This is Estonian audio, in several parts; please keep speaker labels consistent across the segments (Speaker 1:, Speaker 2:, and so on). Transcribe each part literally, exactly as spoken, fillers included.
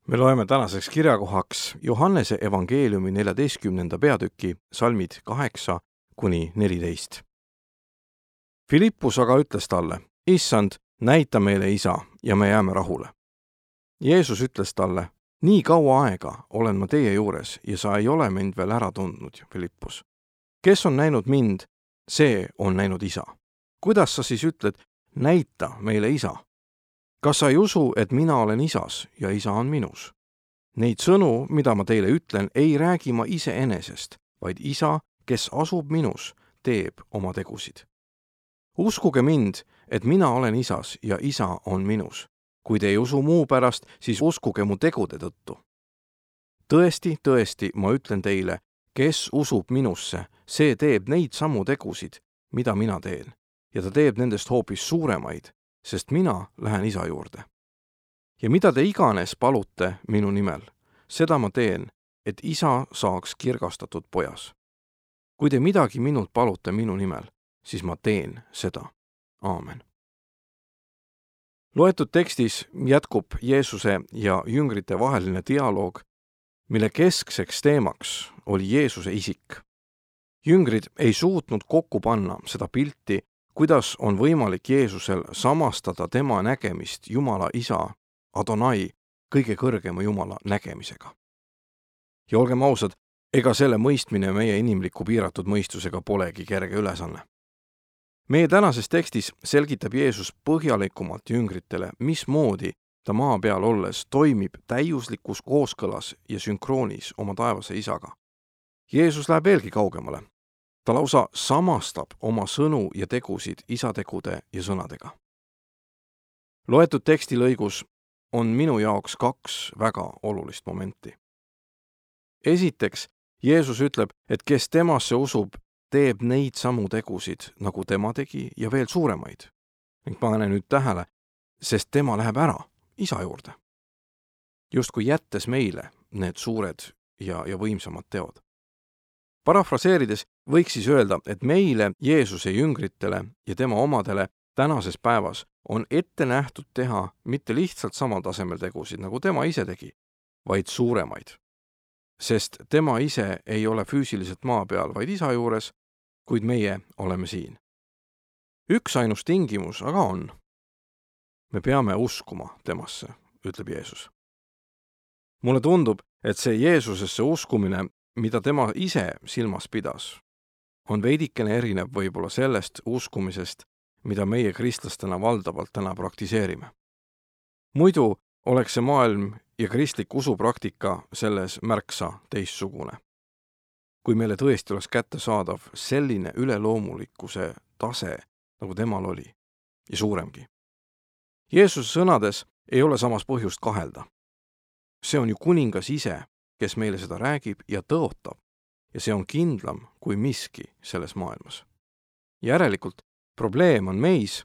Speaker 1: Me loeme tänaseks kirjakohaks Johannese evangeeliumi neljateistkümnenda peatüki salmid kaheksa kuni neliteist. Filippus aga ütles talle, Issand, näita meile Isa ja me jääme rahule. Jeesus ütles talle, nii kaua aega olen ma teie juures ja sa ei ole mind veel ära tundnud, Filippus. Kes on näinud mind, see on näinud Isa. Kuidas sa siis ütled, näita meile Isa? Kas sa ei usu, et mina olen Isas ja Isa on minus? Neid sõnu, mida ma teile ütlen, ei räägi ma iseenesest, vaid Isa, kes asub minus, teeb oma tegusid. Uskuge mind, et mina olen Isas ja Isa on minus. Kui te ei usu muu pärast, siis uskuge mu tegude tõttu. Tõesti, tõesti, ma ütlen teile, kes usub minusse, see teeb neid samu tegusid, mida mina teen, ja ta teeb nendest hoopis suuremaid, sest mina lähen Isa juurde. Ja mida te iganes palute minu nimel, seda ma teen, et Isa saaks kirgastatud pojas. Kui te midagi minult palute minu nimel, siis ma teen seda. Aamen. Loetud tekstis jätkub Jeesuse ja jüngrite vaheline dialoog, mille keskseks teemaks oli Jeesuse isik. Jüngrid ei suutnud kokku panna seda pilti, kuidas on võimalik Jeesusel samastada tema nägemist Jumala Isa, Adonai, kõige kõrgema Jumala nägemisega. Ja olgem ausad, ega selle mõistmine meie inimliku piiratud mõistusega polegi kerge ülesanne. Meie tänases tekstis selgitab Jeesus põhjalikumalt jüngritele, mismoodi ta maa peal olles toimib täiuslikus kooskõlas ja sünkroonis oma taevase Isaga. Jeesus läheb veelgi kaugemale. Ta lausa samastab oma sõnu ja tegusid Isa tegude ja sõnadega. Loetud teksti lõigus on minu jaoks kaks väga olulist momenti. Esiteks, Jeesus ütleb, et kes temasse usub, teeb neid samu tegusid, nagu tema tegi ja veel suuremaid. Ning pane nüüd tähele, sest tema läheb ära Isa juurde. Justkui jättes meile need suured ja, ja võimsamad teod. Parafraseerides võiks siis öelda, et meile, Jeesuse jüngritele ja tema omadele tänases päevas on ette nähtud teha mitte lihtsalt samal tasemel tegusid, nagu tema ise tegi, vaid suuremaid. Sest tema ise ei ole füüsiliselt maa peal, vaid Isa juures, kuid meie oleme siin. Üks ainus tingimus aga on. Me peame uskuma temasse, ütleb Jeesus. Mulle tundub, et see Jeesusesse uskumine, mida tema ise silmas pidas, on veidikene erinev võib-olla sellest uskumisest, mida meie kristlastena valdavalt täna praktiseerime. Muidu oleks see maailm ja kristlik usupraktika selles märksa teistsugune. Kui meile tõesti oleks kätte saadav selline üleloomulikkuse tase, nagu temal oli, ja suuremgi. Jeesuse sõnades ei ole samas põhjust kahelda. See on ju kuningas ise, kes meile seda räägib ja tõotab, ja see on kindlam kui miski selles maailmas. Järelikult probleem on meis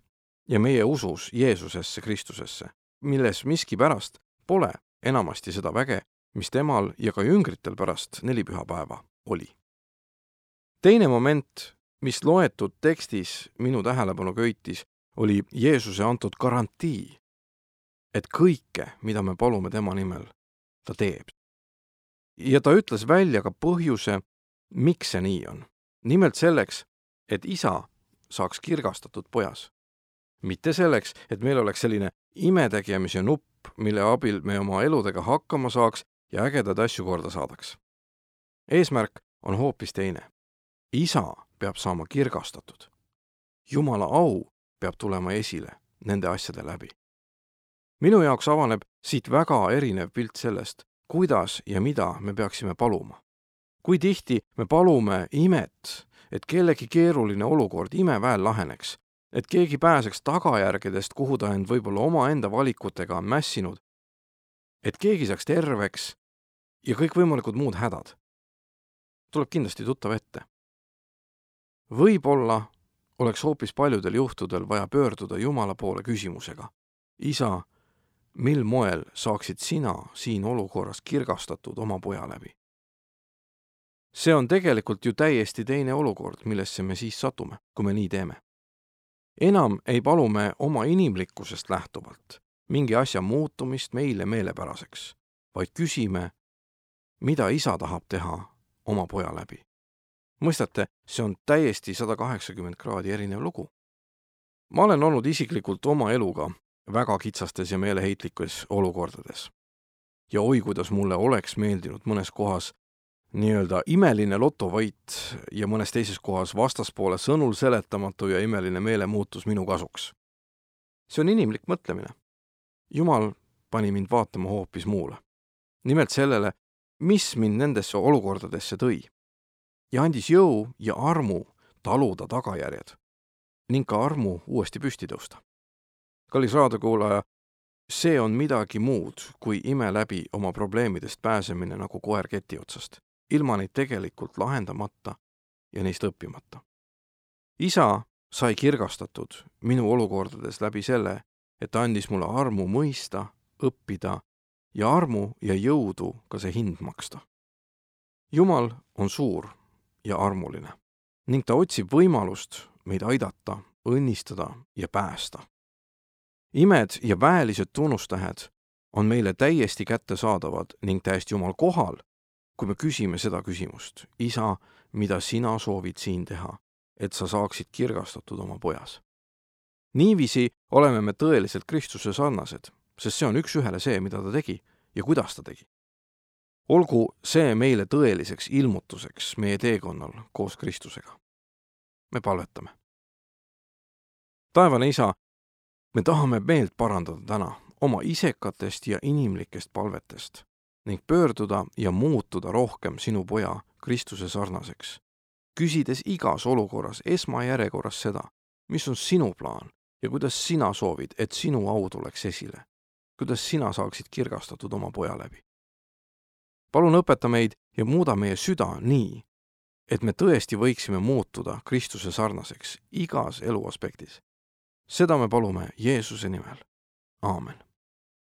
Speaker 1: ja meie usus Jeesusesse Kristusesse, milles miski pärast pole enamasti seda väge, mis temal ja ka jüngritel pärast nelipühapäeva oli. Teine moment, mis loetud tekstis minu tähelepanu köitis, oli Jeesuse antud garantii, et kõike, mida me palume tema nimel, ta teeb. Ja ta ütles välja ka põhjuse, miks see nii on. Nimelt selleks, et Isa saaks kirgastatud pojas. Mitte selleks, et meil oleks selline imetegemise nupp, mille abil me oma eludega hakkama saaks ja ägedad asju korda saadaks. Eesmärk on hoopis teine. Isa peab saama kirgastatud. Jumala au peab tulema esile nende asjade läbi. Minu jaoks avaneb siit väga erinev pilt sellest, kuidas ja mida me peaksime paluma. Kui tihti me palume imet, et kellegi keeruline olukord imeväel laheneks, et keegi pääseks tagajärgedest, kuhu ta end võib-olla oma enda valikutega on mässinud, et keegi saaks terveks ja kõik võimalikud muud hädad. Tuleb kindlasti tuttav ette. Võib-olla oleks hoopis paljudel juhtudel vaja pöörduda Jumala poole küsimusega. Isa, mil moel saaksid sina siin olukorras kirgastatud oma poja läbi? See on tegelikult ju täiesti teine olukord, millesse me siis satume, kui me nii teeme. Enam ei palu me oma inimlikkusest lähtuvalt mingi asja muutumist meile meelepäraseks, vaid küsime, mida isa tahab teha oma poja läbi. Mõistate, see on täiesti sada kaheksakümmend kraadi erinev lugu. Ma olen olnud isiklikult oma eluga väga kitsastes ja meeleheitlikes olukordades. Ja oi, kuidas mulle oleks meeldinud mõnes kohas nii-öelda imeline lotovõit ja mõnes teises kohas vastaspoole sõnul seletamatu ja imeline meelemuutus minu kasuks. See on inimlik mõtlemine. Jumal pani mind vaatama hoopis muule. Nimelt sellele, mis mind nendesse olukordadesse tõi. Ja andis jõu ja armu taluda tagajärjed ning ka armu uuesti püsti tõusta. Kallis raadiokuulaja, see on midagi muud kui ime läbi oma probleemidest pääsemine nagu koer keti otsast, ilma neid tegelikult lahendamata ja neist õppimata. Isa sai kirgastatud minu olukordades läbi selle, et ta andis mulle armu mõista, õppida ja armu ja jõudu ka see hind maksta. Jumal on suur ja armuline ning ta otsib võimalust meid aidata, õnnistada ja päästa. Imed ja väelised tunnustähed on meile täiesti kättesaadavad ning täiesti Jumal kohal, kui me küsime seda küsimust. Isa, mida sina soovid siin teha, et sa saaksid kirgastatud oma pojas? Niiviisi oleme me tõeliselt Kristuse sarnased, sest see on üks ühele see, mida ta tegi ja kuidas ta tegi. Olgu see meile tõeliseks ilmutuseks meie teekonnal koos Kristusega. Me palvetame. Taevane Isa, me tahame meelt parandada täna oma isekatest ja inimlikest palvetest ning pöörduda ja muutuda rohkem sinu poja Kristuse sarnaseks, küsides igas olukorras esmajärjekorras seda, mis on sinu plaan ja kuidas sina soovid, et sinu au tuleks esile, kuidas sina saaksid kirgastatud oma poja läbi. Palun õpeta meid ja muuda meie süda nii, et me tõesti võiksime muutuda Kristuse sarnaseks igas eluaspektis. Seda me palume Jeesuse nimel. Aamen.